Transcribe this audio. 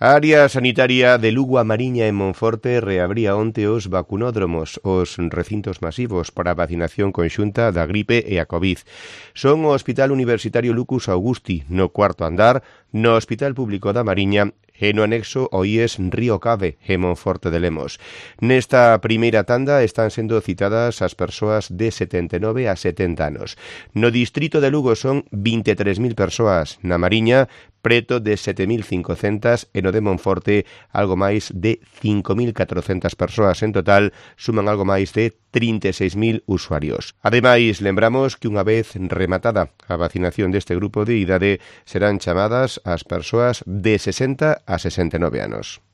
A área sanitaria de Lugo a Mariña en Monforte reabría onte os vacunódromos, os recintos masivos para a vacinación conxunta da gripe e a Covid. Son o Hospital Universitario Lucus Augusti, no cuarto andar, no Hospital Público da Mariña e no anexo o IES Río Cave, en Monforte de Lemos. Nesta primeira tanda están sendo citadas as persoas de 79 a 70 anos. No distrito de Lugo son 23.000 persoas, na Mariña preto de 7.500 e no de Monforte algo máis de 5.400 persoas. En total suman algo máis de 36.000 usuarios. Ademais, lembramos que unha vez rematada a vacinación deste grupo de idade serán chamadas as persoas de 60 a 69 anos.